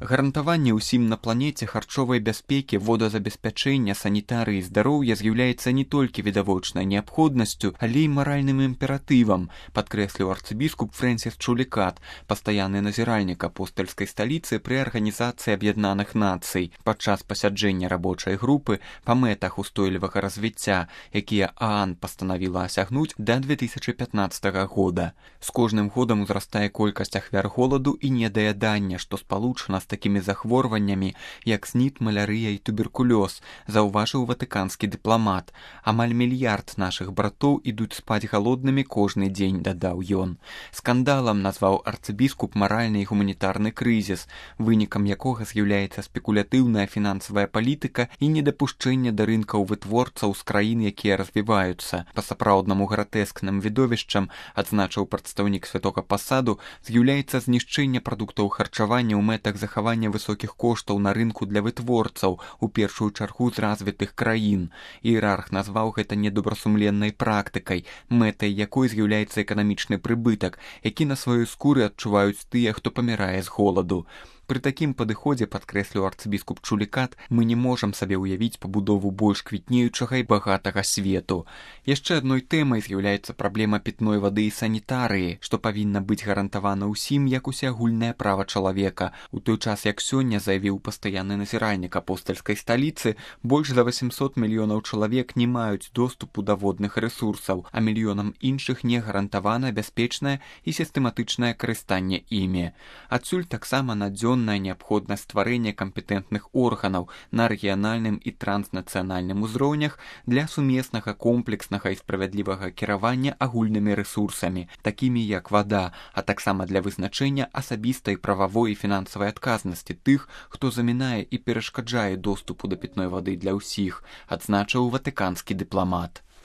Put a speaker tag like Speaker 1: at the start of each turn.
Speaker 1: Гарантаванне ўсім на планеце харчовай бяспекі, водазабеспячэння, санітарыі і здароўя з'яўляецца не толькі відавочнай неабходнасцю, але і маральным імператывам, падкрэсліў арцыбіскуп Фрэнсіс Чулікат, пастаянны назіральнік апостальскай сталіцы пры Арганізацыі Аб'яднаных Нацый, падчас пасяджэння рабочай групы па мэтах устойлівага развіцця, якія ААН пастанавіла асягнуць да 2015 года. З кожным годам узрастае колькасць ахвяр голаду і недаядання, што спалучана з такімі захворваннямі, як СНІД, малярыя і туберкулёз, заўважыў ватыканскі дыпламат. Амаль мільярд нашых братоў ідуць спаць галоднымі кожны дзень, дадаў ён. Скандалам назваў арцыбіскуп маральны і гуманітарны крызіс, вынікам якога з'яўляецца спекулятыўная фінансавая палітыка і недапушчэнне да рынкаў вытворцаў з краін, якія развіваюцца. Па-сапраўднаму гратэскным відовішчам, адзначыў прадстаўнік святога пасаду, з'яўляецца знішчэнне прадуктаў харчавання ў мэтах захавання высокіх коштаў на рынку для вытворцаў, у першую чаргу з развітых краін. Іерарх назваў гэта недобрасумленнай практыкай, мэтай якой з'яўляецца эканамічны прыбытак, які на сваёй скуры адчуваюць тыя, хто памірае з голаду. Пры такім падыходзе, падкрэсліў арцыбіскуп Чулікат, мы не можам сабе ўявіць пабудову больш квітнеючага і багатага свету. Яшчэ адной тэмай з'яўляецца праблема пітной вады і санітарыі, што павінна быць гарантавана ўсім як усеагульнае права чалавека. У той час, як сёння заявіў пастаянны назіральнік апостальскай сталіцы, больш за 800 мільёнаў чалавек не маюць доступу да водных рэсурсаў, а мільёнам іншых не гарантавана бяспечнае і сістэматычнае карыстанне імі. Адсюль таксама надзённая неабходнасць стварэння кампетэнтных органаў на рэгіянальным і транснацыянальным узроўнях для сумеснага, комплекснага і справядлівага кіравання агульнымі рэсурсамі, такімі як вада, а таксама для вызначэння асабістай прававой і фінансавай адказнасці тых, хто замінае і перашкаджае доступу да пітной вады для ўсіх, адзначыў ватыканскі дыпламат.